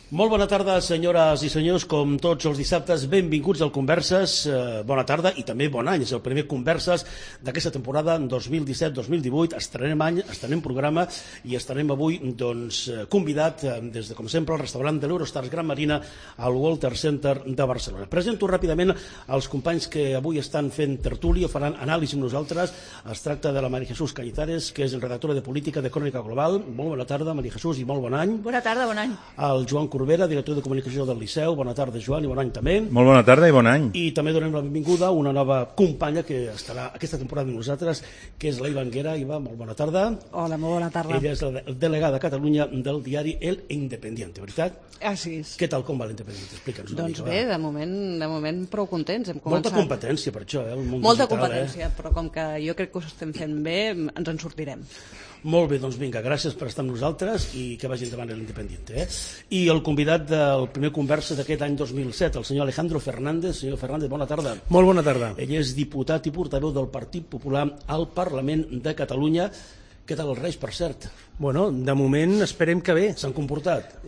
Molt bona tarda, senyores i senyors, com tots els dissabtes, benvinguts al Converses, bona tarda i també bon any, és el primer Converses d'aquesta temporada 2017-2018, estrenem any, estrenem programa i estarem avui convidat des de, com sempre, el restaurant de l'Eurostars Gran Marina al Walter Center de Barcelona. Presento ràpidament els companys que avui estan fent tertúlia, faran anàlisi amb nosaltres. Es tracta de la María Jesús Cañizares, que és redactora de política de Crònica Global. Molt bona tarda, María Jesús, i molt bon any. Bona tarda, bon any. El Joan Corbera, director de comunicació del Liceu. Bona tarda, Joan, i bon any també. Molt bona tarda i bon any. I també donem la benvinguda a una nova companya que estarà aquesta temporada amb nosaltres, que és la Iva Anguera. Iva, molt bona tarda. Hola, molt bona tarda. Ella és la delegada a Catalunya del diari El Independiente, veritat? Així és. Què tal, com va l'Independiente? Explica'ns una mica. Doncs bé, de moment prou contents. Hem Molta començat... competència per això, el món Molta digital, competència, però com que jo crec que ho estem fent bé, ens en sortirem. Molt bé, doncs vinga, gràcies per estar amb nosaltres i que vagi endavant l'Independiente. I el convidat del primer Conversa d'aquest any 2007, el senyor Alejandro Fernández. Senyor Fernández, bona tarda. Molt bona tarda. Ell és diputat i portaveu del Partit Popular al Parlament de Catalunya. Què tal els Reis, per cert? Bueno, de moment esperem que bé. S'han comportat?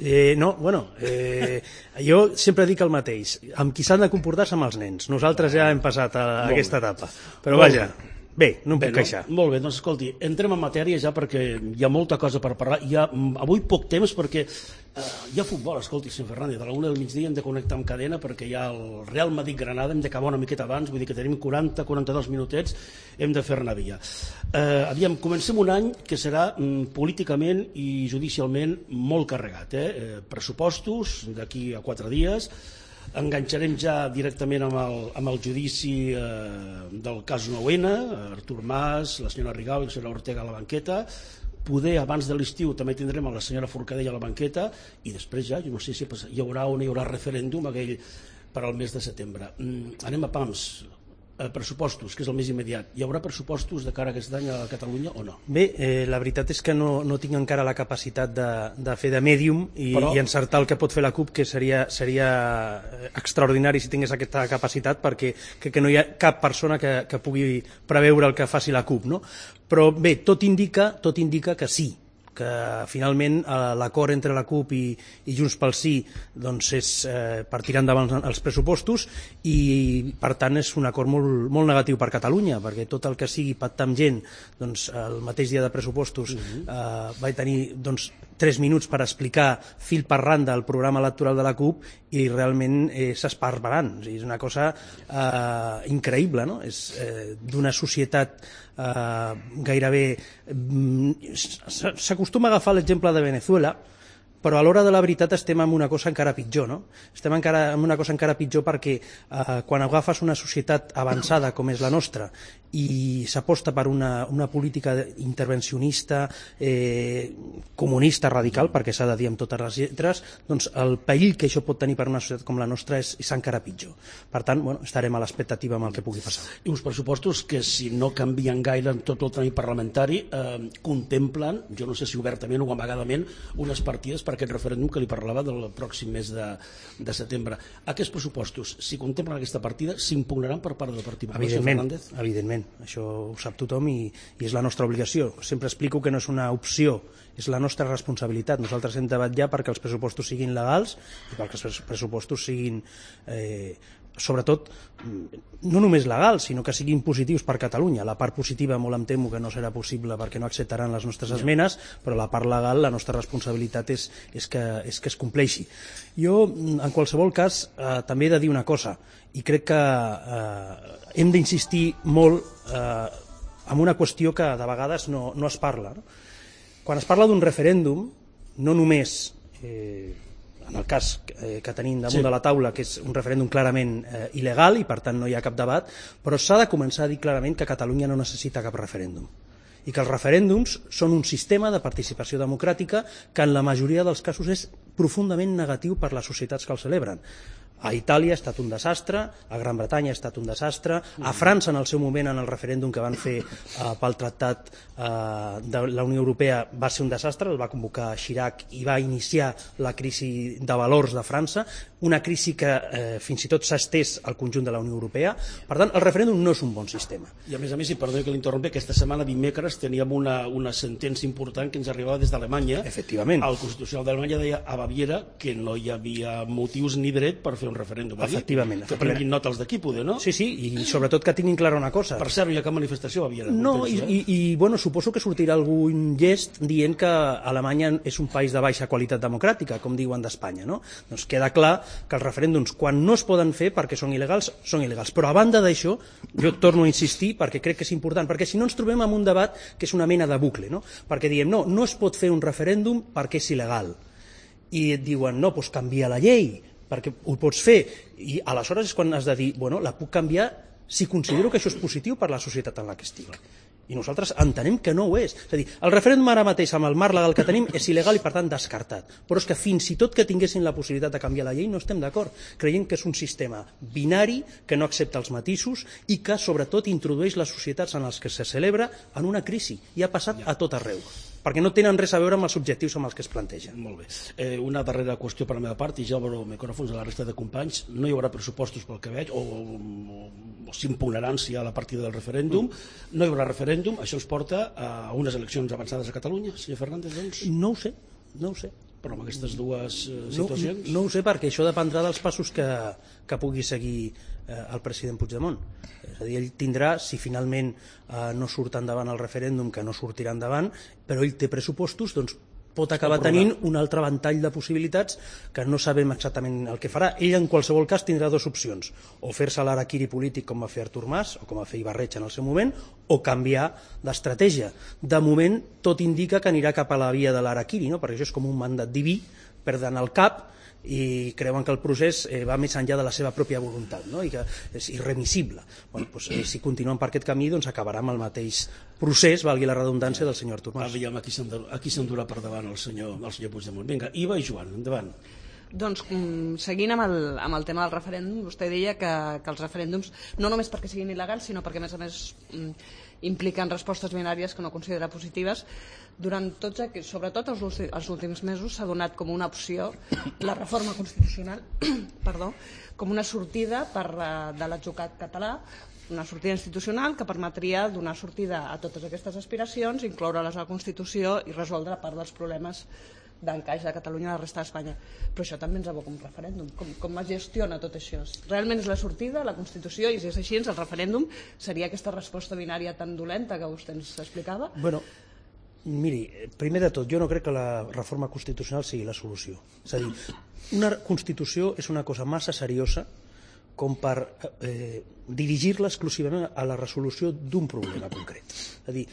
Jo sempre dic el mateix. Amb qui s'han de comportar és amb els nens. Nosaltres ja hem passat a aquesta etapa. Però vaja... Bé, no em puc queixar. Molt bé, doncs escolti, entrem en matèria ja perquè hi ha molta cosa per parlar. Hi ha avui poc temps perquè hi ha futbol, escolti, senyor Fernández, a la 1 del migdia hem de connectar amb cadena perquè hi ha el Real Madrid-Granada, hem d'acabar una miqueta abans, vull dir que tenim 40-42 minutets, hem de fer-ne via. Aviam, comencem un any que serà políticament i judicialment molt carregat. Pressupostos d'aquí a 4 dies, enganxarem ja directament amb el judici del cas 9-N, Artur Mas, la senyora Rigau i la senyora Ortega a la banqueta. Poder abans de l'estiu també tindrem a la senyora Forcadell a la banqueta i després ja, jo no sé si hi haurà o no hi haurà referèndum aquell per al mes de setembre. Anem a pams. Pressupostos, que és el més immediat. Hi haurà pressupostos de cara a aquest any a Catalunya o no? Bé, la veritat és que no tinc encara la capacitat de fer de mèdium i encertar el que pot fer la CUP, que seria extraordinari si tingués aquesta capacitat, perquè crec que no hi ha cap persona que pugui preveure el que faci la CUP, no? Però bé, tot indica que sí, que finalment l'acord entre la CUP i Junts pel Sí doncs és per tirar endavant els pressupostos i per tant és un acord molt negatiu per Catalunya, perquè tot el que sigui pactar amb gent, doncs el mateix dia de pressupostos vaig tenir 3 minuts per explicar fil per randa el programa electoral de la CUP i realment és esparverant, és una cosa increïble, no? És d'una societat gairebé... S'acostuma a agafar l'exemple de Venezuela, però a l'hora de la veritat estem en una cosa encara pitjor, no? Estem en una cosa encara pitjor perquè quan agafes una societat avançada com és la nostra i s'aposta per una política intervencionista, comunista radical, perquè s'ha de dir amb totes les lletres, doncs el perill que això pot tenir per una societat com la nostra és encara pitjor. Per tant, estarem a l'expectativa amb el que pugui passar. I uns pressupostos que, si no canvien gaire en tot el tràmit parlamentari, contemplen, jo no sé si obertament o amagadament, unes partides per aquest referèndum que li parlava del pròxim mes de setembre. Aquests pressupostos, si contemplen aquesta partida, s'impugnaran per part del Partit Popular, senyor Fernández? Evidentment, això ho sap tothom i és la nostra obligació. Sempre explico que no és una opció, és la nostra responsabilitat. Nosaltres hem de vetllar perquè els pressupostos siguin legals i perquè els pressupostos siguin sobretot no només legals, sinó que siguin positius per Catalunya. La part positiva molt em temo que no serà possible perquè no acceptaran les nostres esmenes, però la part legal, la nostra responsabilitat és que es compleixi. Jo, en qualsevol cas, també he de dir una cosa, i crec que hem d'insistir molt en una qüestió que de vegades no es parla. Quan es parla d'un referèndum, no només en el cas que tenim damunt de la taula, que és un referèndum clarament il·legal i per tant no hi ha cap debat, però s'ha de començar a dir clarament que Catalunya no necessita cap referèndum i que els referèndums són un sistema de participació democràtica que en la majoria dels casos és profundament negatiu per les societats que el celebren. A Itàlia ha estat un desastre, a Gran Bretanya ha estat un desastre, a França en el seu moment en el referèndum que van fer pel Tractat de la Unió Europea va ser un desastre, el va convocar Chirac i va iniciar la crisi de valors de França, una crisi que fins i tot s'ha estès al conjunt de la Unió Europea. Per tant, el referèndum no és un bon sistema. I a més, si perdó que l'interrompi, aquesta setmana, dimecres, teníem una sentència important que ens arribava des d'Alemanya. Efectivament. El Constitucional d'Alemanya deia a Baviera que no hi havia motius ni dret per fer un referèndum. Efectivament. Que prenguin nota els d'aquí, poder, no? Sí, i sobretot que tinguin clara una cosa. Per cert, no hi ha cap manifestació a Baviera. No, bueno, suposo que sortirà algun gest dient que Alemanya és un país de baixa qualitat democràtica, com diuen d'Espanya, no? Doncs queda clar que els referèndums, quan no es poden fer perquè són il·legals, són il·legals. Però a banda d'això, jo torno a insistir perquè crec que és important, perquè si no ens trobem en un debat que és una mena de bucle, no? Perquè diem, no es pot fer un referèndum perquè és il·legal. I et diuen, no, doncs canvia la llei, perquè ho pots fer, i aleshores és quan has de dir, bueno, la puc canviar si considero que això és positiu per la societat en la que estic. I nosaltres entenem que no ho és. És a dir, el referèndum ara mateix amb el marc legal que tenim és il·legal i per tant descartat. Però és que fins i tot que tinguessin la possibilitat de canviar la llei no estem d'acord. Creiem que és un sistema binari que no accepta els matisos i que sobretot introdueix les societats en les que se celebra en una crisi i ha passat a tot arreu, perquè no tenen res a veure amb els objectius amb els que es plantegen. Molt bé. Una darrera qüestió per la meva part, i ja obro micròfons a la resta de companys. No hi haurà pressupostos pel que veig, o s'impugnaran si hi ha la partida del referèndum. No hi haurà referèndum. Això ens porta a unes eleccions avançades a Catalunya, senyor Fernández, doncs? No ho sé. Però amb aquestes dues situacions? No ho sé, perquè això dependrà dels passos que pugui seguir el president Puigdemont. És a dir, ell tindrà, si finalment no surt endavant el referèndum, que no sortirà endavant, però ell té pressupostos, doncs pot acabar tenint un altre ventall de possibilitats que no sabem exactament el que farà. Ell, en qualsevol cas, tindrà dues opcions: o fer-se l'araquiri polític com va fer Artur Mas, o com va fer Ibarretxe en el seu moment, o canviar d'estratègia. De moment, tot indica que anirà cap a la via de l'araquiri, no? Perquè això és com un mandat diví, perden el cap i creuen que el procés va més enllà de la seva pròpia voluntat, no? I que és irremissible. Bueno, doncs, si continuen per aquest camí, doncs acabarà amb el mateix procés, valgui la redundància, del senyor Artur Mas. Aviam, aquí s'endurà per davant el senyor Puigdemont. Vinga, Iva i Joan, endavant. Doncs seguint amb el tema del referèndum, vostè deia que els referèndums, no només perquè siguin il·legals, sinó perquè a més impliquen respostes binàries que no considera positives, sobretot els últims mesos s'ha donat com una opció la reforma constitucional com una sortida de l'atzucac català, una sortida institucional que permetria donar sortida a totes aquestes aspiracions, incloure-les a la Constitució i resoldre part dels problemes d'encaix de Catalunya a la resta d'Espanya. Però això també ens aboca un referèndum. Com es gestiona tot això? Realment és la sortida, la Constitució, i si és així, el referèndum seria aquesta resposta binària tan dolenta que vostè ens explicava? Bueno, miri, primer de tot, jo no crec que la reforma constitucional sigui la solució. És a dir, una Constitució és una cosa massa seriosa com per dirigir-la exclusivament a la resolució d'un problema concret. És a dir,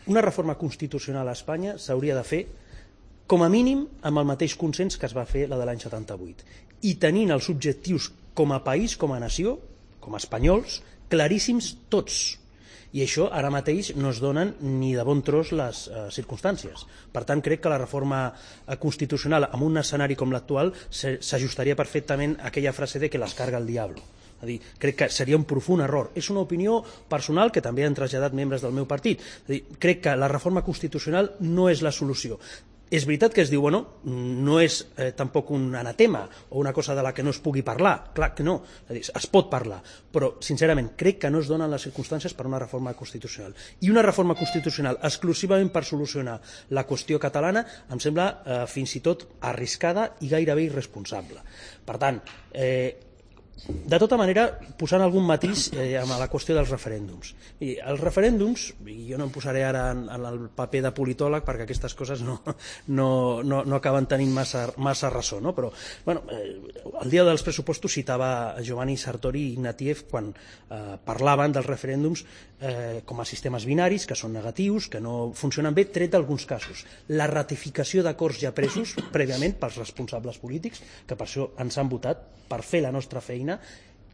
una reforma constitucional a Espanya s'hauria de fer com a mínim amb el mateix consens que es va fer la de l'any 78, i tenint els objectius com a país, com a nació, com a espanyols, claríssims tots. I això ara mateix no es donen ni de bon tros les circumstàncies. Per tant, crec que la reforma constitucional en un escenari com l'actual s'ajustaria perfectament a aquella frase de que les carga el diablo. És a dir, crec que seria un profund error. És una opinió personal que també han traslladat membres del meu partit. És a dir, crec que la reforma constitucional no és la solució. És veritat que es diu, bueno, no és tampoc un anatema o una cosa de la que no es pugui parlar, clar que no, és a dir, es pot parlar, però sincerament crec que no es donen les circumstàncies per una reforma constitucional. I una reforma constitucional exclusivament per solucionar la qüestió catalana em sembla fins i tot arriscada i gairebé irresponsable. Per tant, de tota manera, posant algun matís amb la qüestió dels referèndums. I els referèndums, i jo no em posaré ara en el paper de politòleg perquè aquestes coses no acaben tenint massa ressò, no? Però bueno, el dia dels pressupostos citava Giovanni Sartori i Ignatieff quan parlaven dels referèndums com a sistemes binaris, que són negatius, que no funcionen bé, tret d'alguns casos. La ratificació d'acords ja presos prèviament pels responsables polítics, que per això ens han votat, per fer la nostra feina,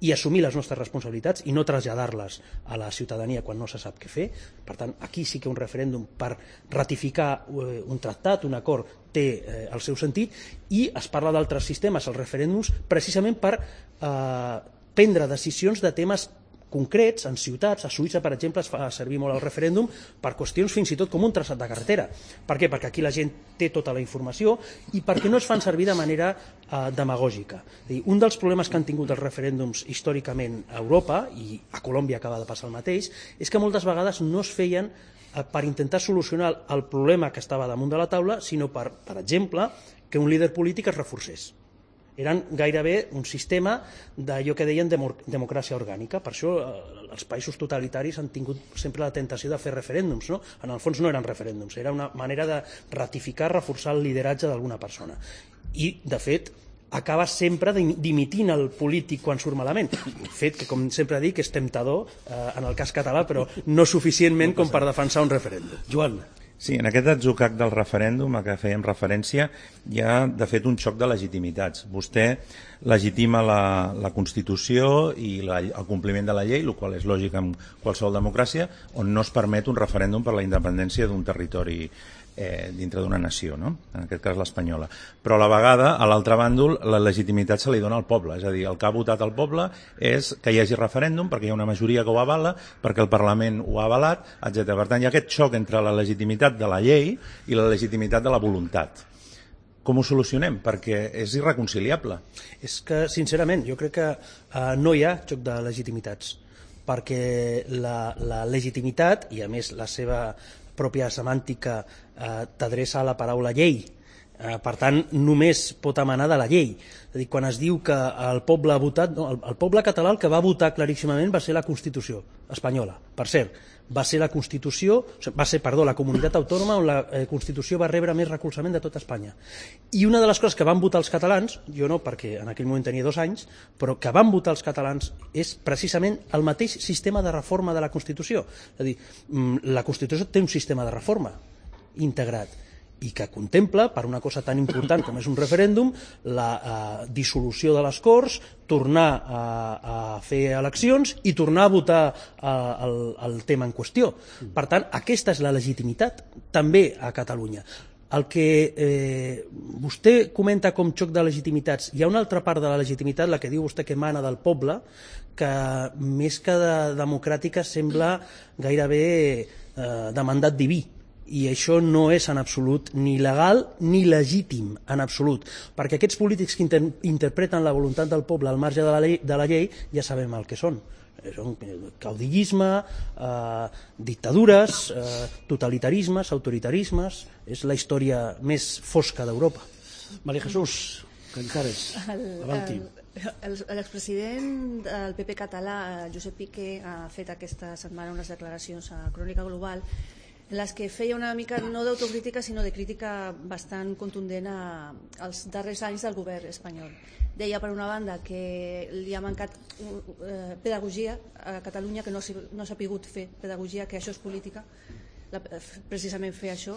i assumir les nostres responsabilitats i no traslladar-les a la ciutadania quan no se sap què fer. Per tant, aquí sí que un referèndum per ratificar un tractat, un acord, té el seu sentit, i es parla d'altres sistemes, els referèndums, precisament per prendre decisions de temes concrets en ciutats. A Suïssa, per exemple, es fa servir molt el referèndum per qüestions fins i tot com un traçat de carretera. Per què? Perquè aquí la gent té tota la informació i perquè no es fan servir de manera demagògica. Un dels problemes que han tingut els referèndums històricament a Europa, i a Colòmbia acaba de passar el mateix, és que moltes vegades no es feien per intentar solucionar el problema que estava damunt de la taula, sinó per exemple, que un líder polític es reforcés. Eren gairebé un sistema d'allò que deien democràcia orgànica. Per això els països totalitaris han tingut sempre la tentació de fer referèndums, no? En el fons no eren referèndums, era una manera de ratificar, reforçar el lideratge d'alguna persona. I, de fet, acaba sempre dimitint el polític quan surt malament. Fet que, com sempre dic, és temptador en el cas català, però no suficientment com per defensar un referèndum. Joan. Sí, en aquest atzucac del referèndum a què fèiem referència hi ha, de fet, un xoc de legitimitats. Vostè legitima la Constitució i el compliment de la llei, el qual és lògic en qualsevol democràcia, on no es permet un referèndum per la independència d'un territori dintre d'una nació, no? En aquest cas l'espanyola. Però a la vegada, a l'altre bàndol, la legitimitat se li dona al poble, és a dir, el que ha votat el poble és que hi hagi referèndum perquè hi ha una majoria que ho avala, perquè el Parlament ho ha avalat, etc. Per tant, hi ha aquest xoc entre la legitimitat de la llei i la legitimitat de la voluntat. Com ho solucionem? Perquè és irreconciliable. És que, sincerament, jo crec que no hi ha xoc de legitimitats, perquè la legitimitat, i a més la seva pròpia semàntica t'adreça a la paraula llei. Per tant, només pot emanar de la llei. És a dir, quan es diu que el poble ha votat, no, el poble català el que va votar claríssimament va ser la Constitució espanyola. Per cert, va ser la comunitat autònoma on la Constitució va rebre més recolzament de tot Espanya. I una de les coses que van votar els catalans, jo no perquè en aquell moment tenia 2 anys, però que van votar els catalans és precisament el mateix sistema de reforma de la Constitució. És a dir, la Constitució té un sistema de reforma integrat i que contempla, per una cosa tan important com és un referèndum, la dissolució de les Corts, tornar a fer eleccions i tornar a votar el tema en qüestió. Per tant, aquesta és la legitimitat, també a Catalunya. El que vostè comenta com xoc de legitimitats, hi ha una altra part de la legitimitat, la que diu vostè que emana del poble, que més que de democràtica sembla gairebé de mandat diví. I això no és en absolut ni legal ni legítim, en absolut, perquè aquests polítics que interpreten la voluntat del poble al marge de la llei ja sabem el que són. Són caudillisme, dictadures, totalitarismes, autoritarismes. És la història més fosca d'Europa. María Jesús Cantares, avanti. L'expresident del PP català, Josep Piqué, ha fet aquesta setmana unes declaracions a Crònica Global en les que feia una mica, no d'autocrítica, sinó de crítica bastant contundent als darrers anys del govern espanyol. Deia, per una banda, que li ha mancat pedagogia a Catalunya, que no s'ha sabut fer pedagogia, que això és política, precisament fer això,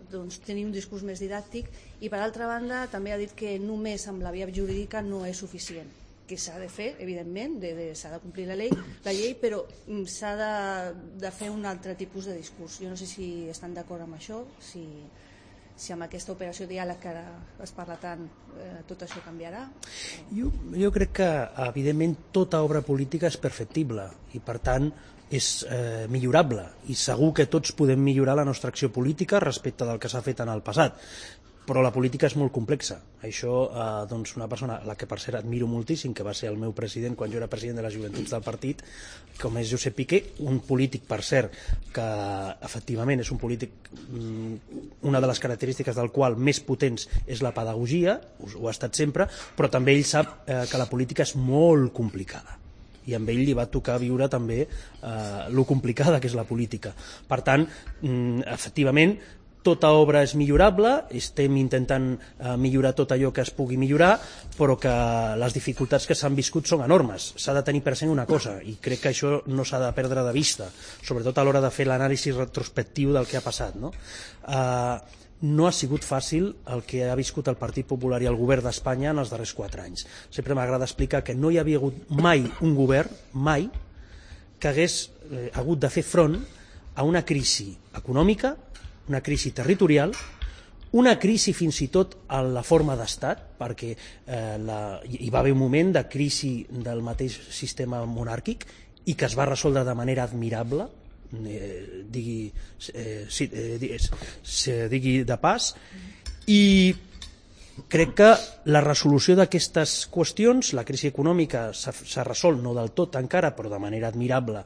doncs tenir un discurs més didàctic, i per altra banda també ha dit que només amb la via jurídica no és suficient, que s'ha de fer, evidentment, s'ha de complir la llei, però s'ha de fer un altre tipus de discurs. Jo no sé si estan d'acord amb això, si amb aquesta operació diàleg que ara es parla tant, tot això canviarà. Jo crec que, evidentment, tota obra política és perfectible i, per tant, és millorable, i segur que tots podem millorar la nostra acció política respecte del que s'ha fet en el passat. Però la política és molt complexa. Això, doncs, una persona, la que per cert admiro moltíssim, que va ser el meu president quan jo era president de les joventuts del partit, com és Josep Piqué, un polític, per cert, que efectivament és un polític, una de les característiques del qual més potents és la pedagogia, ho ha estat sempre, però també ell sap que la política és molt complicada. I amb ell li va tocar viure també lo complicada que és la política. Per tant, efectivament, tota obra és millorable, estem intentant millorar tot allò que es pugui millorar, però que les dificultats que s'han viscut són enormes. S'ha de tenir present una cosa, i crec que això no s'ha de perdre de vista, sobretot a l'hora de fer l'anàlisi retrospectiu del que ha passat, no? no ha sigut fàcil el que ha viscut el Partit Popular i el govern d'Espanya en els darrers 4 anys. Sempre m'agrada explicar que no hi havia hagut mai un govern, mai, que hagués hagut de fer front a una crisi econòmica, una crisi territorial, una crisi fins i tot en la forma d'estat, perquè hi va haver un moment de crisi del mateix sistema monàrquic i que es va resoldre de manera admirable, digui de pas, i crec que la resolució d'aquestes qüestions, la crisi econòmica s'ha resolt no del tot encara, però de manera admirable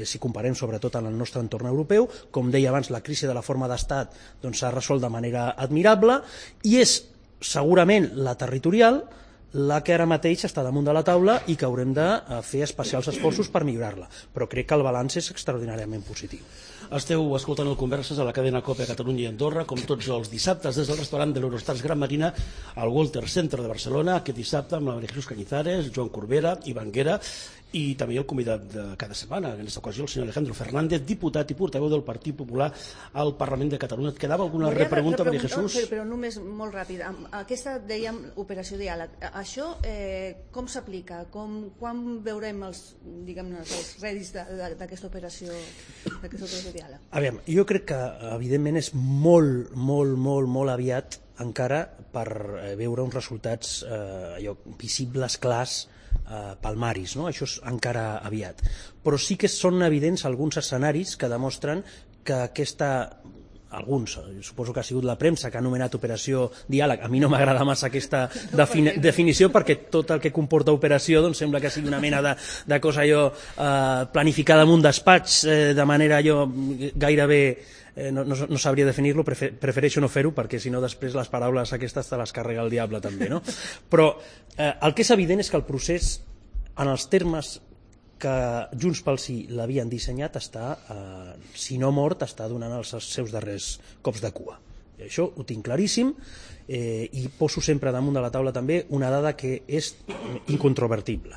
si comparem sobretot en el nostre entorn europeu. Com deia abans, la crisi de la forma d'estat s'ha resolt de manera admirable, i és segurament la territorial la que ara mateix està damunt de la taula i que haurem de fer especials esforços per millorar-la, però crec que el balanç és extraordinàriament positiu. Esteu escoltant el Converses a la cadena COPE a Catalunya i Andorra, com tots els dissabtes des del restaurant de l'Eurostars Gran Marina al Walter Center de Barcelona, aquest dissabte amb la María Jesús Cañizares, Joan Corbera i Banguera, i també el convidat de cada setmana, en aquesta ocasió el senyor Alejandro Fernández, diputat i portaveu del Partit Popular al Parlament de Catalunya. Et quedava alguna repregunta, María Jesús? Però només molt ràpid. Aquesta, dèiem, operació diàleg. Això com s'aplica? Quan veurem els rèdits d'aquesta operació diàleg? Aviam, jo crec que evidentment és molt, molt, molt, molt aviat encara per veure uns resultats visibles, clars, palmaris, no? Això és encara aviat, però sí que són evidents alguns escenaris que demostren que alguns, suposo que ha sigut la premsa que ha anomenat operació diàleg. A mi no m'agrada massa aquesta definició, perquè tot el que comporta operació sembla que sigui una mena de cosa planificada en un despatx de manera gairebé no sabria definir-lo, prefereixo no fer-ho, perquè si no després les paraules aquestes te les carrega el diable també, no? Però el que és evident és que el procés, en els termes que Junts pel Sí l'havien dissenyat, està, si no mort, està donant els seus darrers cops de cua. Això ho tinc claríssim, i poso sempre damunt de la taula també una dada que és incontrovertible,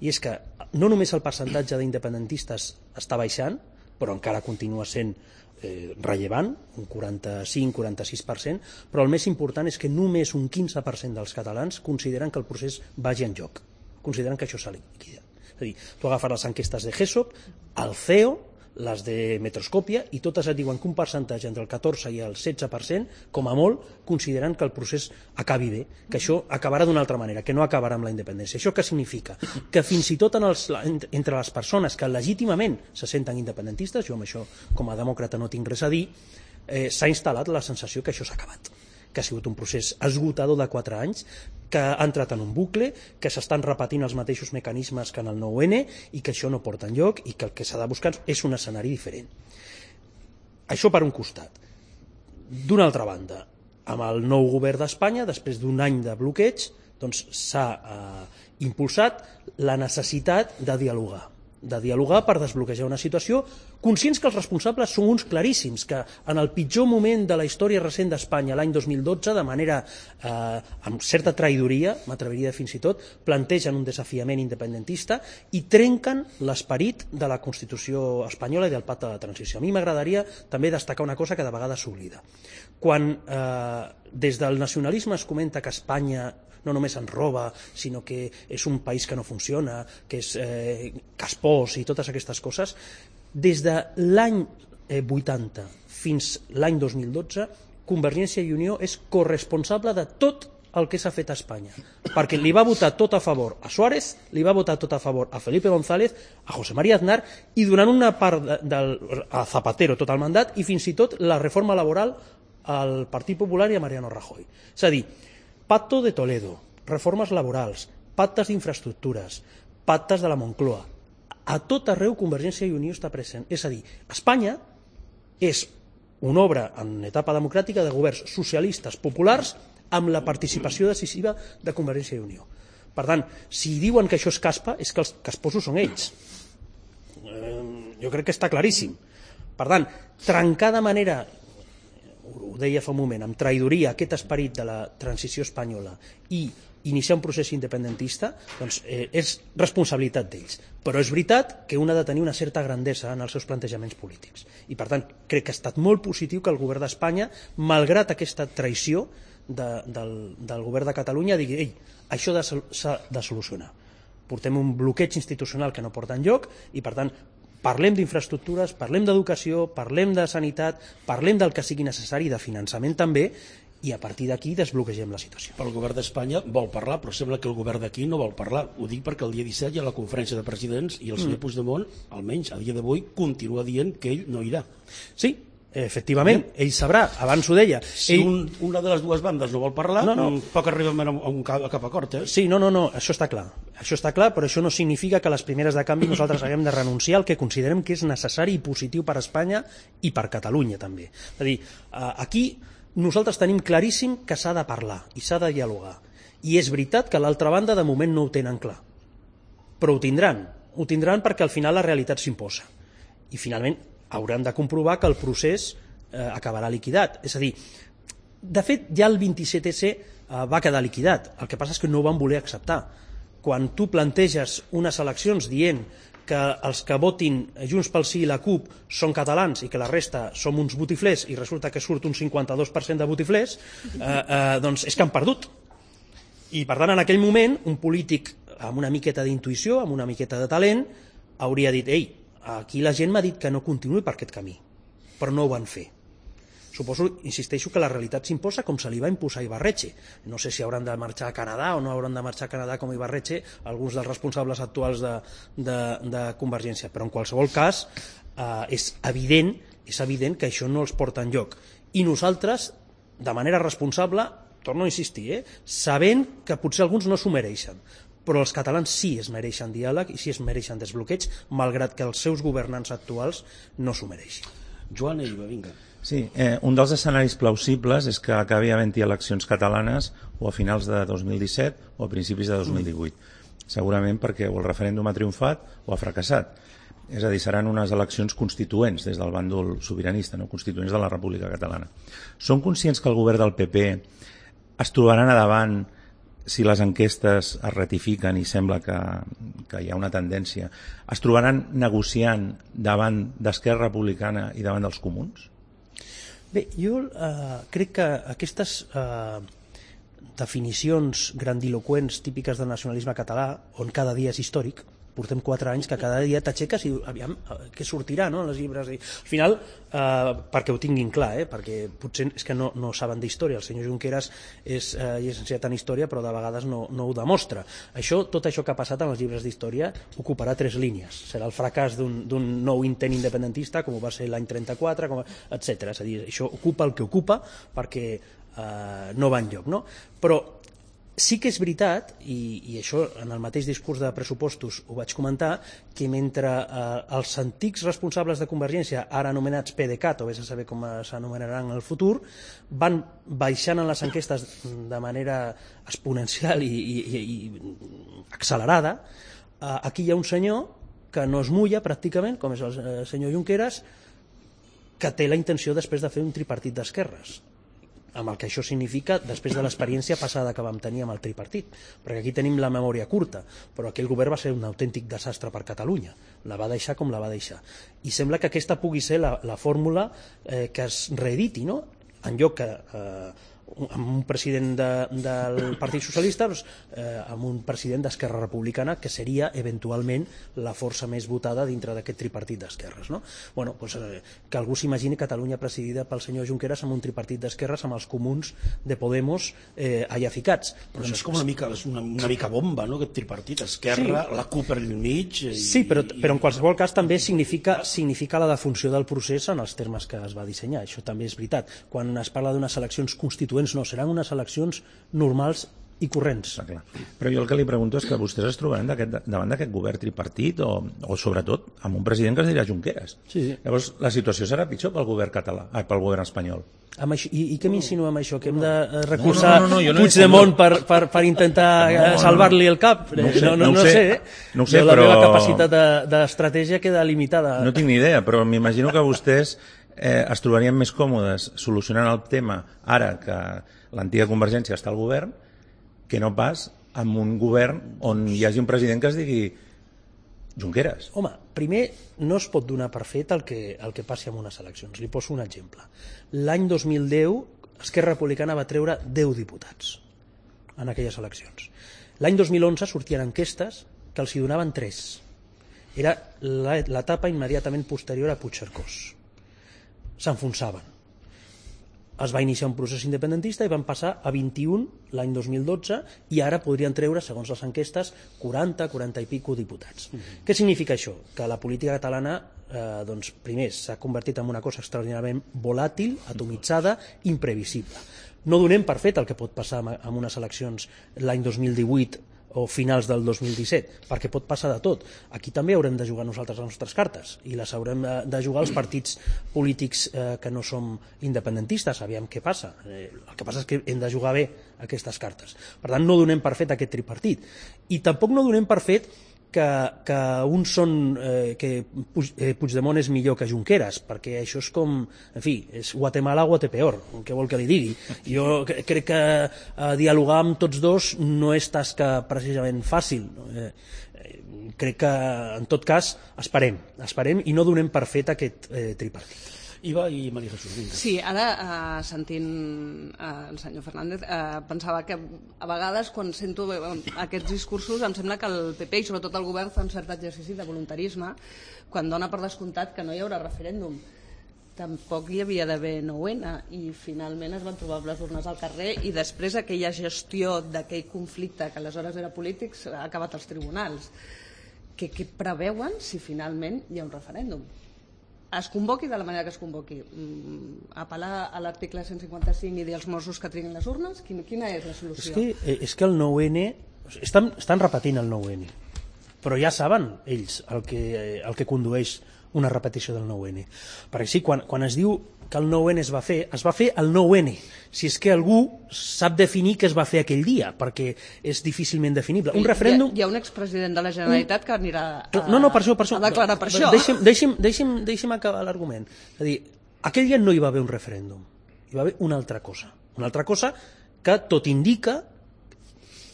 i és que no només el percentatge d'independentistes està baixant, però encara continua sent rellevant, un 45-46%, però el més important és que només un 15% dels catalans consideren que el procés vagi en joc, consideren que això s'ha liquidat. És a dir, tu agafes les enquestes de GESOP, el CEO, les de Metroscòpia, i totes et diuen que un percentatge entre el 14 i el 16%, com a molt, consideren que el procés acabi bé, que això acabarà d'una altra manera, que no acabarà amb la independència. Això què significa? Que fins i tot entre les persones que legítimament se senten independentistes, jo amb això com a demòcrata no tinc res a dir, s'ha instal·lat la sensació que això s'ha acabat, que ha sigut un procés esgotador de 4 anys, que ha entrat en un bucle, que s'estan repetint els mateixos mecanismes que en el 9-N i que això no porta enlloc i que el que s'ha de buscar és un escenari diferent. Això per un costat. D'una altra banda, amb el nou govern d'Espanya, després d'un any de bloqueig, s'ha impulsat la necessitat de dialogar per desbloquejar una situació, conscients que els responsables són uns claríssims, que en el pitjor moment de la història recent d'Espanya, l'any 2012, de manera amb certa traïdoria, m'atreviria fins i tot, plantegen un desafiament independentista i trenquen l'esperit de la Constitució espanyola i del Pacte de Transició. A mi m'agradaria també destacar una cosa que de vegades s'oblida. Quan des del nacionalisme es comenta que Espanya no només ens roba, sinó que és un país que no funciona, que és caspós i totes aquestes coses, des de l'any 80 fins l'any 2012, Convergència i Unió és corresponsable de tot el que s'ha fet a Espanya, perquè li va votar tot a favor a Suárez, li va votar tot a favor a Felipe González, a José María Aznar, i donant una part a Zapatero tot el mandat, i fins i tot la reforma laboral al Partit Popular i a Mariano Rajoy. És a dir, Pacto de Toledo, reformes laborals, pactes d'infraestructures, pactes de la Moncloa. A tot arreu Convergència i Unió està present. És a dir, Espanya és una obra en etapa democràtica de governs socialistes populars amb la participació decisiva de Convergència i Unió. Per tant, si diuen que això és caspa, és que els casposos són ells. Jo crec que està claríssim. Per tant, trencar de manera, ho deia fa un moment, amb traïdoria aquest esperit de la transició espanyola i iniciar un procés independentista, doncs és responsabilitat d'ells. Però és veritat que un ha de tenir una certa grandesa en els seus plantejaments polítics. I per tant, crec que ha estat molt positiu que el govern d'Espanya, malgrat aquesta traïció del govern de Catalunya, digui, ei, això s'ha de solucionar. Portem un bloqueig institucional que no porta enlloc i, per tant, parlem d'infraestructures, parlem d'educació, parlem de sanitat, parlem del que sigui necessari, de finançament també, i a partir d'aquí desbloquegem la situació. El govern d'Espanya vol parlar, però sembla que el govern d'aquí no vol parlar. Ho dic perquè el dia 17 hi ha la conferència de presidents i el senyor Puigdemont, almenys a dia d'avui, continua dient que ell no irà. Sí, efectivament, ell sabrà, abans ho deia. Si una de les dues bandes no vol parlar, poc arribem a cap acord. Sí, no, això està clar. Això està clar, però això no significa que a les primeres de canvi nosaltres haguem de renunciar al que considerem que és necessari i positiu per a Espanya i per Catalunya també. És a dir, aquí nosaltres tenim claríssim que s'ha de parlar i s'ha de dialogar. I és veritat que l'altra banda de moment no ho tenen clar. Però ho tindran perquè al final la realitat s'imposa. I finalment hauran de comprovar que el procés acabarà liquidat. És a dir, de fet, ja el 27S va quedar liquidat. El que passa és que no ho van voler acceptar. Quan tu planteges unes eleccions dient que els que votin Junts pel Sí i la CUP són catalans i que la resta som uns botiflers i resulta que surt un 52% de botiflers, doncs és que han perdut. I per tant, en aquell moment, un polític amb una miqueta d'intuïció, amb una miqueta de talent, hauria dit, ei, aquí la gent m'ha dit que no continuï per aquest camí, però no ho van fer. Suposo, insisteixo, que la realitat s'imposa com se li va imposar a Ibarretxe. No sé si hauran de marxar a Canadà o no hauran de marxar a Canadà com Ibarretxe alguns dels responsables actuals de Convergència, però en qualsevol cas és evident que això no els porta enlloc. I nosaltres, de manera responsable, torno a insistir, sabent que potser alguns no s'ho mereixen, però els catalans sí es mereixen diàleg i sí es mereixen desbloqueig, malgrat que els seus governants actuals no s'ho mereixin. Joan Eiva, vinga. Sí, un dels escenaris plausibles és que acabi havent-hi eleccions catalanes o a finals de 2017 o a principis de 2018. Segurament perquè o el referèndum ha triomfat o ha fracassat. És a dir, seran unes eleccions constituents des del bàndol sobiranista, no? Constituents de la República Catalana. Són conscients que el govern del PP es trobaran a davant, si les enquestes es ratifiquen i sembla que hi ha una tendència, es trobaran negociant davant d'Esquerra Republicana i davant dels comuns? Bé, jo crec que aquestes definicions grandiloquents típiques del nacionalisme català, on cada dia és històric, portem 4 anys que cada dia t'aixeques i aviam què sortirà, no?, en els llibres. Al final, perquè ho tinguin clar, perquè potser és que no saben d'història. El senyor Junqueras és llicenciat en història, però de vegades no ho demostra. Tot això que ha passat en els llibres d'història ocuparà 3 línies. Serà el fracàs d'un nou intent independentista, com ho va ser l'any 34, etc. És a dir, això ocupa el que ocupa perquè no va enlloc, no? Però sí que és veritat, i això en el mateix discurs de pressupostos ho vaig comentar, que mentre els antics responsables de Convergència, ara anomenats PDeCAT, o vés a saber com s'anomenaran en el futur, van baixant en les enquestes de manera exponencial i accelerada, aquí hi ha un senyor que no es mulla pràcticament, com és el senyor Junqueras, que té la intenció després de fer un tripartit d'esquerres, amb el que això significa després de l'experiència passada que vam tenir amb el tripartit, perquè aquí tenim la memòria curta, però aquell govern va ser un autèntic desastre per Catalunya, la va deixar com la va deixar, i sembla que aquesta pugui ser la fórmula que es reediti, no? En lloc que amb un president del Partit Socialista, amb un president d'Esquerra Republicana, que seria eventualment la força més votada dintre d'aquest tripartit d'esquerres, no? Bueno, doncs, que algú s'imagini Catalunya presidida pel senyor Junqueras amb un tripartit d'esquerres amb els comuns de Podemos allà ficats. Però és com una mica bomba, no?, aquest tripartit, Esquerra, sí, la CUP per mig... Sí, però en qualsevol cas també significa la defunció del procés en els termes que es va dissenyar, això també és veritat. Quan es parla d'unes eleccions constituents, no, seran unes eleccions normals i corrents. Però jo el que li pregunto és que vostès es trobaran davant d'aquest govern tripartit o sobretot amb un president que es dirà Junqueras. Sí. Llavors la situació serà pitjor pel govern català, pel govern espanyol. I què m'insinua amb això? Que hem de recolzar Puigdemont per intentar salvar-li el cap? No sé, però... La meva capacitat d'estratègia queda limitada. No tinc ni idea, però m'imagino que vostès es trobarien més còmodes solucionant el tema ara que l'antiga Convergència està al govern que no pas amb un govern on hi hagi un president que es digui Junqueras. Home, primer, no es pot donar per fet el que passi amb unes eleccions. Li poso un exemple. L'any 2010, Esquerra Republicana va treure 10 diputats en aquelles eleccions. L'any 2011 sortien enquestes que els hi donaven 3. Era l'etapa immediatament posterior a Puigcercós. S'enfonsaven. Es va iniciar un procés independentista i van passar a 21 l'any 2012 i ara podrien treure, segons les enquestes, 40 i pico diputats. Què significa això? Que la política catalana doncs, primer s'ha convertit en una cosa extraordinàriament volàtil, atomitzada, imprevisible. No donem per fet el que pot passar amb unes eleccions l'any 2018 o finals del 2017, perquè pot passar de tot. Aquí també haurem de jugar nosaltres les nostres cartes i les haurem de jugar els partits polítics que no som independentistes, aviam què passa. El que passa és que hem de jugar bé aquestes cartes. Per tant, no donem per fet aquest tripartit. I tampoc no donem per fet que uns són que Puigdemont és millor que Junqueras, perquè això és com, en fi, és Guatemala o Guatepeor, què vol que li digui. Jo crec que dialogar amb tots dos no és tasca precisament fàcil. Crec que, en tot cas, esperem i no donem per fet aquest tripartit. Iva i Maria Jesús. Vinga. Sí, ara sentint el senyor Fernández pensava que a vegades quan sento aquests discursos em sembla que el PP i sobretot el govern fa un cert exercici de voluntarisme quan dona per descomptat que no hi haurà referèndum. Tampoc hi havia d'haver 9-N i finalment es van trobar amb les urnes al carrer i després aquella gestió d'aquell conflicte que aleshores era polític ha acabat als tribunals. Què preveuen si finalment hi ha un referèndum? Es convoqui de la manera que es convoqui, apel·lar a l'article 155 i dir als Mossos que triguin les urnes? Quina és la solució? És que el 9-N estan repetint el 9-N, però ja saben ells el que condueix una repetició del 9-N, perquè sí, quan es diu que el 9-N es va fer el 9-N, si és que algú sap definir què es va fer aquell dia, perquè és difícilment definible. Un referèndum... Hi ha un expresident de la Generalitat que anirà per això. A declarar per això. Deixi'm acabar l'argument. És a dir, aquell dia no hi va haver un referèndum, hi va haver una altra cosa que tot indica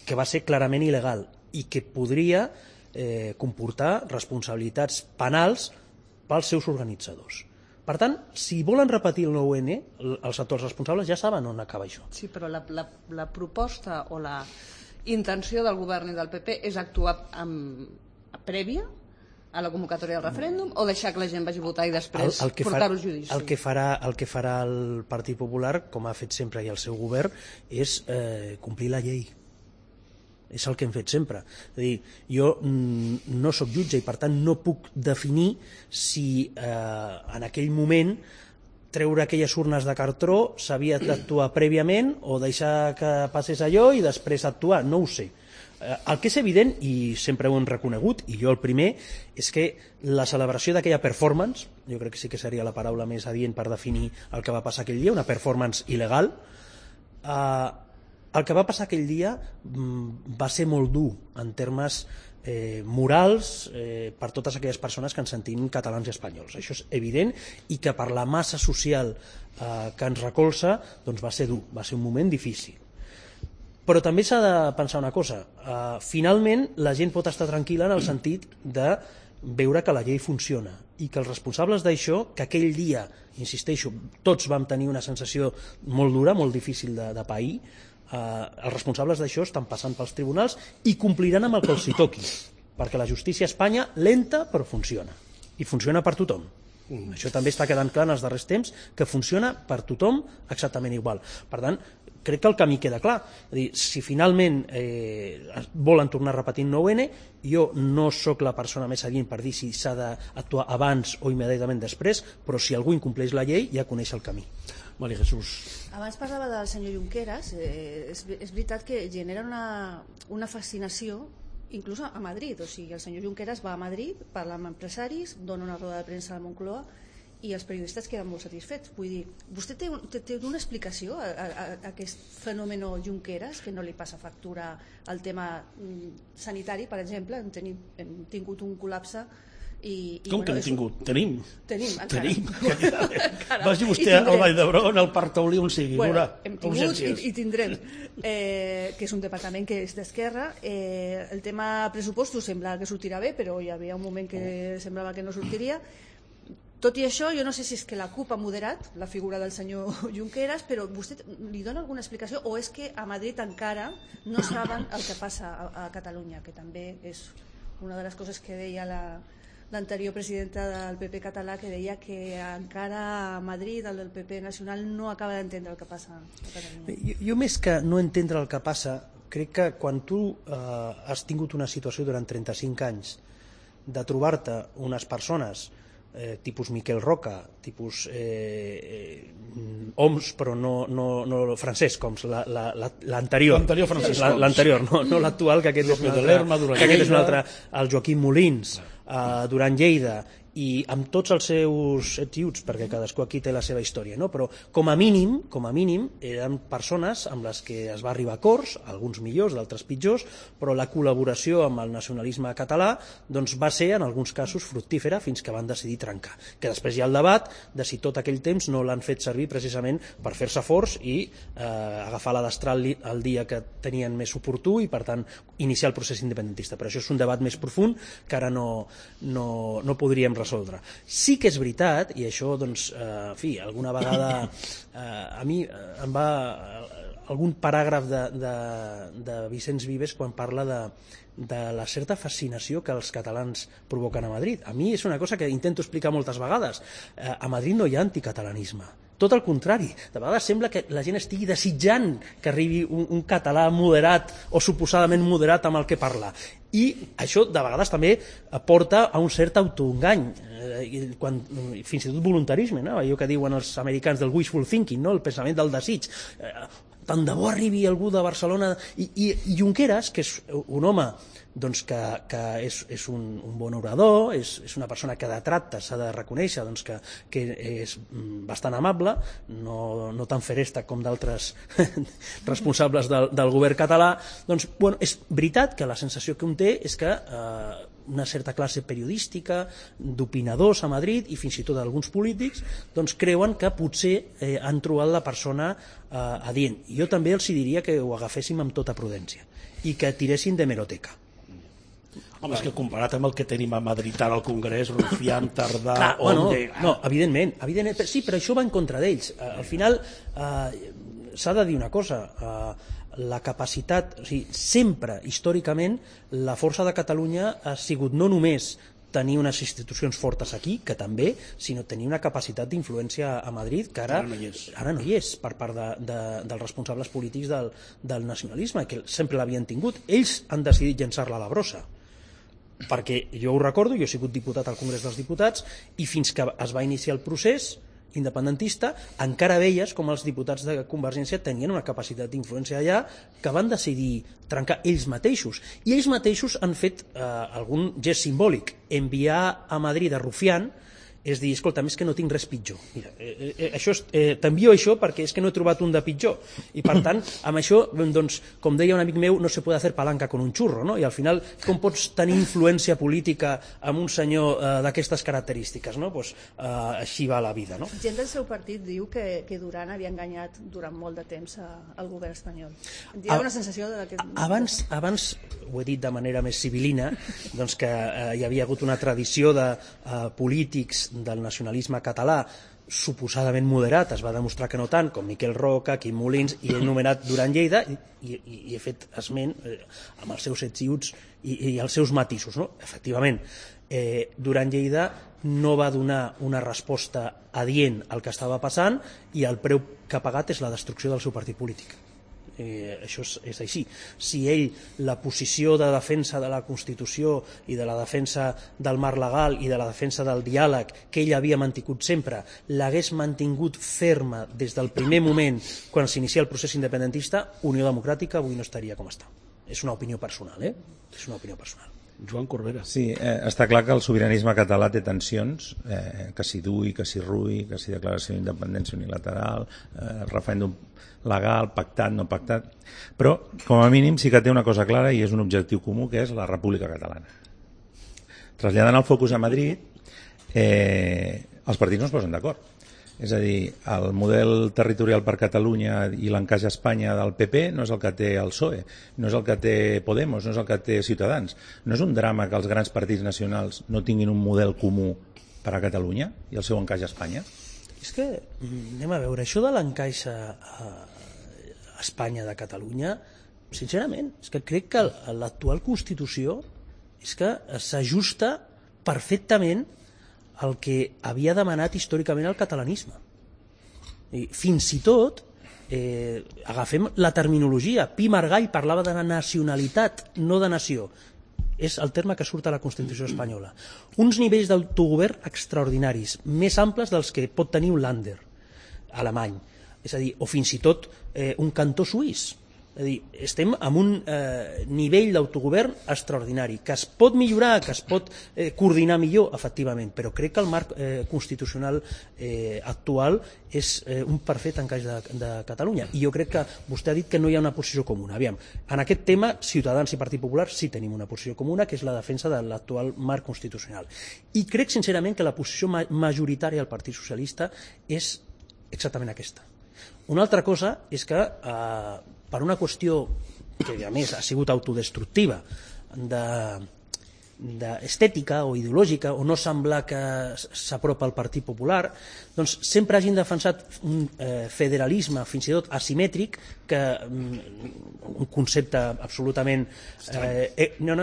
que va ser clarament il·legal i que podria comportar responsabilitats penals pels seus organitzadors. Per tant, si volen repetir el 9-N, els actors responsables ja saben on acaba això. Sí, però la proposta o la intenció del govern i del PP és actuar prèvia a la convocatòria del referèndum o deixar que la gent vagi a votar i després portar-ho a judici? El que farà el Partit Popular, com ha fet sempre i el seu govern, és complir la llei. És el que hem fet sempre. És a dir, jo no sóc jutge i per tant no puc definir si en aquell moment treure aquelles urnes de cartró s'havia d'actuar prèviament o deixar que passés allò i després actuar, no ho sé. El que és evident, i sempre ho hem reconegut, i jo el primer, és que la celebració d'aquella performance, jo crec que sí que seria la paraula més adient per definir el que va passar aquell dia, una performance il·legal, el que va passar aquell dia va ser molt dur en termes morals per totes aquelles persones que ens sentim catalans i espanyols. Això és evident i que per la massa social que ens recolza doncs va ser dur, va ser un moment difícil. Però també s'ha de pensar una cosa. Finalment la gent pot estar tranquil·la en el sentit de veure que la llei funciona i que els responsables d'això, que aquell dia, insisteixo, tots vam tenir una sensació molt dura, molt difícil de pair, els responsables d'això estan passant pels tribunals i compliran amb el que els hi toqui, perquè la justícia a Espanya lenta però funciona, i funciona per tothom. Això també està quedant clar en els darrers temps, que funciona per tothom exactament igual. Per tant, crec que el camí queda clar. És a dir, si finalment volen tornar a repetir 9-N, jo no sóc la persona més adient per dir si s'ha d'actuar abans o immediatament després, però si algú incompleix la llei ja coneix el camí. Maria Jesús. Abans parlava del senyor Junqueras, és veritat que genera una fascinació inclús a Madrid, o sigui, el senyor Junqueras va a Madrid, parla amb empresaris, dona una roda de premsa a la Moncloa i els periodistes queden molt satisfets. Vull dir, vostè té una explicació a aquest fenomen Junqueras, que no li passa factura al tema sanitari, per exemple, hem tingut un col·lapse Com que no hem tingut? Tenim. Tenim, encara. Tenim. Vagi vostè al Vall d'Hebron, al Parc Taulí, on sigui. Bueno, hem tingut i tindrem, que és un departament que és d'esquerra. El tema pressupostos sembla que sortirà bé, però hi havia un moment que semblava que no sortiria. Tot i això, jo no sé si és que la CUP ha moderat la figura del senyor Junqueras, però vostè li dona alguna explicació o és que a Madrid encara no saben el que passa a Catalunya, que també és una de les coses que deia l'anterior presidenta del PP català, que deia que encara a Madrid el del PP nacional no acaba d'entendre el que passa a Catalunya. Jo més que no entendre el que passa, crec que quan tu has tingut una situació durant 35 anys de trobar-te unes persones tipus Miquel Roca, tipus Homs, però no Francesc Homs, l'anterior. L'anterior Francesc Homs. L'anterior, no l'actual, que aquest és un altre, el Joaquim Molins, Duran Lleida, i amb tots els seus ets, perquè cadascú aquí té la seva història, no? Però com a mínim eren persones amb les que es va arribar a acords, alguns millors, d'altres pitjors, però la col·laboració amb el nacionalisme català doncs va ser en alguns casos fructífera fins que van decidir trencar, que després hi ha el debat de si tot aquell temps no l'han fet servir precisament per fer-se forts i agafar la destral el dia que tenien més oportú i per tant iniciar el procés independentista, però això és un debat més profund que ara no podríem resoldre. Sí que és veritat, i això doncs, en fi, alguna vegada a mi em va algun paràgraf de Vicenç Vives quan parla de la certa fascinació que els catalans provoquen a Madrid. A mi és una cosa que intento explicar moltes vegades. A Madrid no hi ha anticatalanisme. Tot el contrari, de vegades sembla que la gent estigui desitjant que arribi un català moderat o suposadament moderat amb el que parla. I això de vegades també porta a un cert autoengany, fins i tot voluntarisme, no? Allò que diuen els americans del wishful thinking, no? El pensament del desig. Tant de bo arribi algú de Barcelona. I Junqueras, que és un home doncs que és un bon orador, és una persona que de tracte s'ha de reconèixer doncs que és bastant amable, no tan feresta com d'altres responsables del govern català, doncs bueno, és veritat que la sensació que un té és que una certa classe periodística, d'opinadors a Madrid i fins i tot alguns polítics doncs creuen que potser han trobat la persona adient. Jo també els diria que ho agaféssim amb tota prudència i que tiressin d'hemeroteca. Home, és que comparat amb el que tenim a Madrid ara al Congrés, Rufián, Tardà... No, evidentment, sí, però això va en contra d'ells. Al final s'ha de dir una cosa, la capacitat, o sigui, sempre, històricament, la força de Catalunya ha sigut no només tenir unes institucions fortes aquí, que també, sinó tenir una capacitat d'influència a Madrid que ara no hi és per part dels responsables polítics del nacionalisme, que sempre l'havien tingut. Ells han decidit llançar-la a la brossa, perquè jo ho recordo, jo he sigut diputat al Congrés dels Diputats i fins que es va iniciar el procés independentista encara veies com els diputats de Convergència tenien una capacitat d'influència allà que van decidir trencar ells mateixos, i ells mateixos han fet algun gest simbòlic, enviar a Madrid a Rufián, és dir, escolta, és que no tinc res pitjor. Mira, t'envio això perquè és que no he trobat un de pitjor. I per tant, amb això, doncs, com deia un amic meu, no se puede hacer palanca con un churro, no? I al final, com pots tenir influència política amb un senyor d'aquestes característiques, no? Pues, així va la vida, no? Gent del seu partit diu que Duran havia enganyat durant molt de temps al govern espanyol. Hi ha una sensació de que... Abans, ho he dit de manera més civilina, doncs que hi havia hagut una tradició de polítics del nacionalisme català suposadament moderat, es va demostrar que no tant, com Miquel Roca, Quim Molins, i he anomenat Duran Lleida i he fet esment amb els seus ets i uts i els seus matisos, no? Efectivament, Duran Lleida no va donar una resposta adient al que estava passant i el preu que ha pagat és la destrucció del seu partit polític. Això és així. Si ell, la posició de defensa de la Constitució i de la defensa del marc legal i de la defensa del diàleg que ell havia mantingut sempre, l'hagués mantingut ferma des del primer moment quan s'inicia el procés independentista, Unió Democràtica avui no estaria com està. És una opinió personal, És una opinió personal. Joan Corbera. Sí, està clar que el sobiranisme català té tensions, que si dui, que si rui, que si declaració d'independència unilateral, referèndum legal, pactat, no pactat, però com a mínim sí que té una cosa clara i és un objectiu comú, que és la República Catalana. traslladant el focus a Madrid, els partits no es posen d'acord. És a dir, el model territorial per Catalunya i l'encaix a Espanya del PP no és el que té el PSOE, no és el que té Podemos, no és el que té Ciutadans. No és un drama que els grans partits nacionals no tinguin un model comú per a Catalunya i el seu encaix a Espanya? És que, anem a veure, això de l'encaix a Espanya de Catalunya, sincerament, és que crec que l'actual Constitució és que s'ajusta perfectament el que havia demanat històricament el catalanisme. I fins i tot, agafem la terminologia, Pi Margall parlava de nacionalitat, no de nació. És el terme que surt a la Constitució espanyola. Uns nivells d'autogovern extraordinaris, més amples dels que pot tenir un Länder alemany, és a dir, o fins i tot un cantó suís. És a dir, estem en un nivell d'autogovern extraordinari, que es pot millorar, que es pot coordinar millor, efectivament, però crec que el marc constitucional actual és un perfecte encaix de Catalunya. I jo crec que vostè ha dit que no hi ha una posició comuna. Aviam, en aquest tema, Ciutadans i Partit Popular sí tenim una posició comuna, que és la defensa de l'actual marc constitucional. I crec, sincerament, que la posició majoritària del Partit Socialista és exactament aquesta. Una altra cosa és que per una qüestió que a més ha sigut autodestructiva d'estètica o ideològica o no semblar que s'apropa al Partit Popular, doncs sempre hagin defensat un federalisme fins i tot asimètric, que un concepte absolutament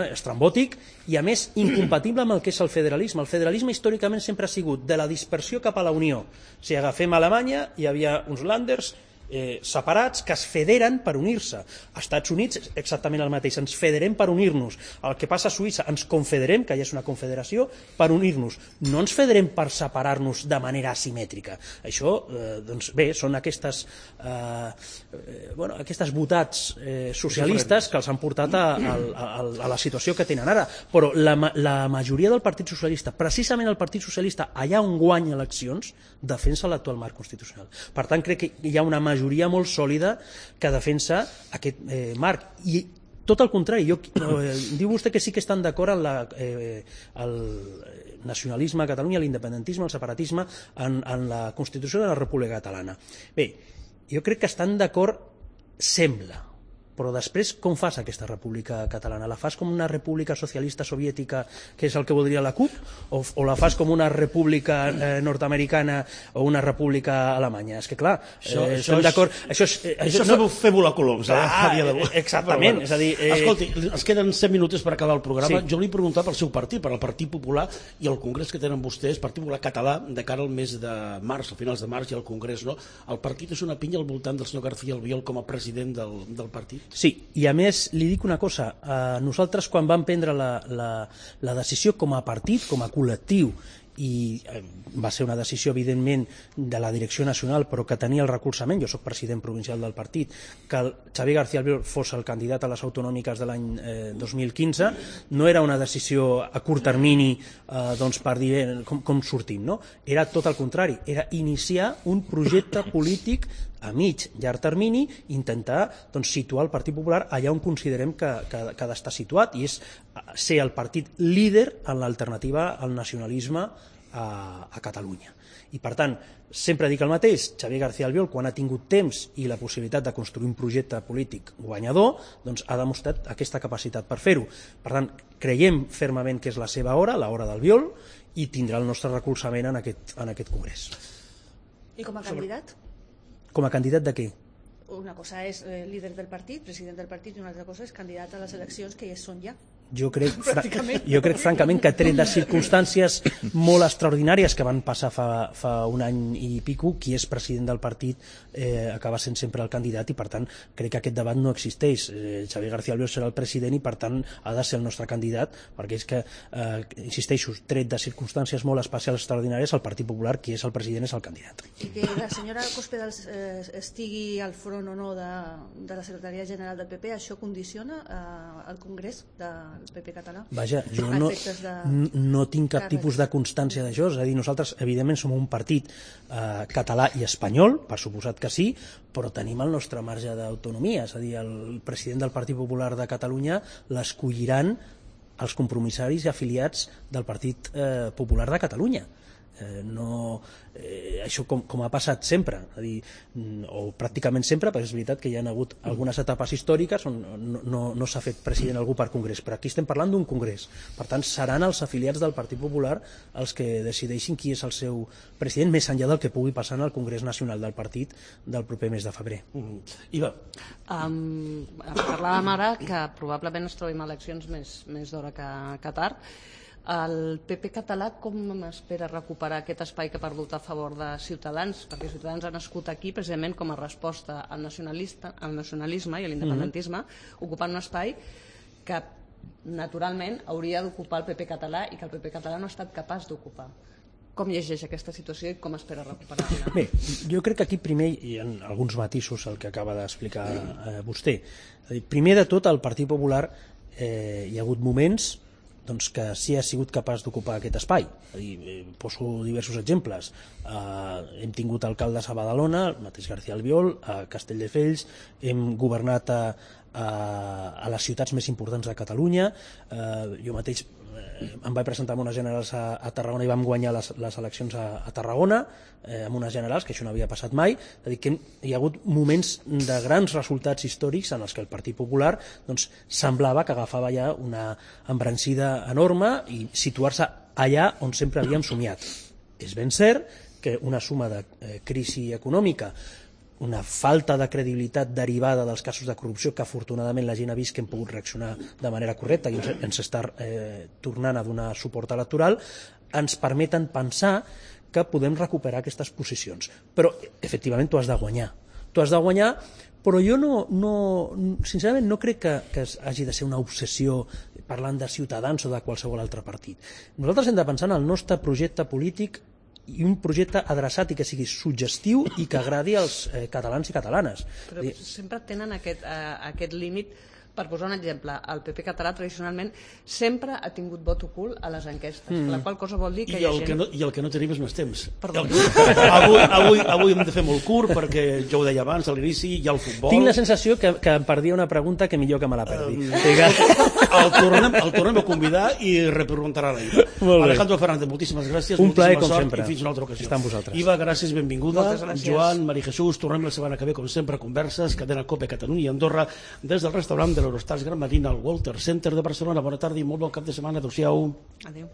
estrambòtic i a més incompatible amb el que és el federalisme. El federalisme històricament sempre ha sigut de la dispersió cap a la unió. Si agafem Alemanya, hi havia uns Länders separats que es federen per unir-se. Als Estats Units exactament el mateix, ens federem per unir-nos. El que passa a Suïssa, ens confederem, que ja és una confederació, per unir-nos. No ens federem per separar-nos de manera asimètrica. Això, doncs bé, són aquestes botats socialistes que els han portat a la situació que tenen ara. Però la majoria del Partit Socialista, precisament el Partit Socialista, allà on guanya eleccions, defensa l'actual marc constitucional. Per tant, crec que hi ha una majoria molt sòlida que defensa aquest marc. I tot el contrari, diu vostè que sí que estan d'acord amb el nacionalisme a Catalunya, l'independentisme, el separatisme en la Constitució de la República Catalana. Bé, jo crec que estan d'acord, sembla, però després com fas aquesta república catalana? La fas com una república socialista soviètica, que és el que voldria la CUP, o la fas com una república nord-americana o una república alemanya? És que clar, estem d'acord... Això és fer volar coloms, a dia d'avui. Exactament, és a dir... Escolti, ens queden 7 minuts per acabar el programa. Jo volia preguntar pel seu partit, per al Partit Popular i el congrés que tenen vostès, Partit Popular Català, de cara al mes de març, a finals de març, i al congrés, no? El partit és una pinya al voltant del senyor García Albiol com a president del partit? Sí, i a més li dic una cosa, nosaltres quan vam prendre la decisió com a partit, com a col·lectiu, i va ser una decisió evidentment de la direcció nacional però que tenia el recolzament, jo soc president provincial del partit, que el Xavier García Albiol fos el candidat a les autonòmiques de l'any 2015, no era una decisió a curt termini per dir com sortim, no? Era tot el contrari, era iniciar un projecte polític a mig, llarg termini, intentar situar el Partit Popular allà on considerem que ha d'estar situat, i és ser el partit líder en l'alternativa al nacionalisme a Catalunya. I per tant, sempre dic el mateix, Xavier García Albiol, quan ha tingut temps i la possibilitat de construir un projecte polític guanyador, doncs ha demostrat aquesta capacitat per fer-ho. Per tant, creiem fermament que és la seva hora, l'hora d'Albiol, i tindrà el nostre recolzament en aquest congrés. I com a candidat? Com a candidat de què? Una cosa és líder del partit, president del partit, i una altra cosa és candidat a les eleccions que ja són ja. Jo crec francament que tret de circumstàncies molt extraordinàries que van passar fa un any i pico, qui és president del partit acaba sent sempre el candidat, i per tant crec que aquest debat no existeix. Xavier García Albiol serà el president i per tant ha de ser el nostre candidat, perquè és que, insisteixo, tret de circumstàncies molt especials extraordinàries, el Partit Popular, qui és el president, és el candidat. I que la senyora Cospedal estigui al front o no de la secretaria general del PP, això condiciona el congrés del PP català? Vaja, jo no tinc cap tipus de constància d'això, és a dir, nosaltres evidentment som un partit català i espanyol, per suposat que sí, però tenim el nostre marge d'autonomia, és a dir, el president del Partit Popular de Catalunya l'escolliran els compromissaris i afiliats del Partit Popular de Catalunya. Això com ha passat sempre, o pràcticament sempre, perquè és veritat que hi ha hagut algunes etapes històriques on no s'ha fet president algú per congrés, però aquí estem parlant d'un congrés, per tant seran els afiliats del Partit Popular els que decideixin qui és el seu president, més enllà del que pugui passar en el Congrés Nacional del Partit del proper mes de febrer. Iva, parlàvem ara que probablement es trobem eleccions més d'hora que tard. El PP català com espera recuperar aquest espai que ha perdut a favor de Ciutadans? Perquè Ciutadans ha nascut aquí precisament com a resposta al nacionalisme i a l'independentisme, ocupant un espai que naturalment hauria d'ocupar el PP català i que el PP català no ha estat capaç d'ocupar. Com llegeix aquesta situació i com espera recuperar-la? Bé, jo crec que aquí primer hi ha alguns matisos al que acaba d'explicar vostè. Primer de tot, al Partit Popular hi ha hagut moments que sí ha sigut capaç d'ocupar aquest espai. Poso diversos exemples. Hem tingut alcaldes a Badalona, el mateix García Albiol, a Castelldefels, hem governat a les ciutats més importants de Catalunya. Jo mateix em vaig presentar amb unes generals a Tarragona i vam guanyar les eleccions a Tarragona amb unes generals, que això no havia passat mai. És a dir, que hi ha hagut moments de grans resultats històrics en els que el Partit Popular semblava que agafava ja una embranzida enorme i situar-se allà on sempre havíem somiat. És ben cert que una suma de crisi econòmica, una falta de credibilitat derivada dels casos de corrupció que afortunadament la gent ha vist que hem pogut reaccionar de manera correcta i ens està tornant a donar suport electoral, ens permeten pensar que podem recuperar aquestes posicions. Però, efectivament, tu has de guanyar. Tu has de guanyar, però jo sincerament no crec que hagi de ser una obsessió parlant de Ciutadans o de qualsevol altre partit. Nosaltres hem de pensar en el nostre projecte polític i un projecte adreçat i que sigui suggestiu i que agradi als catalans i catalanes. Però sempre tenen aquest límit. Per posar un exemple, el PP català tradicionalment sempre ha tingut vot ocult a les enquestes, la qual cosa vol dir que hi ha gent... I el que no tenim és més temps. Perdó. Avui hem de fer molt curt perquè jo ho deia abans, a l'inici hi ha el futbol. Tinc la sensació que em perdia una pregunta que millor que me la perdi. El tornem a convidar i repreguntarà la Iva. Alejandro Fernández, moltíssimes gràcies. Un plaer, com sort, sempre. I fins una altra ocasió. Està amb vosaltres. Iva, gràcies, benvinguda. Gràcies. Joan, Maria Jesús, tornem la setmana que ve, com sempre, converses, cadena COPE Catalunya i Andorra, des del restaurant de l'Eurostars Gran Marina al Walter Center de Barcelona. Bona tarda i molt bon cap de setmana. Adéu-siau. Adéu.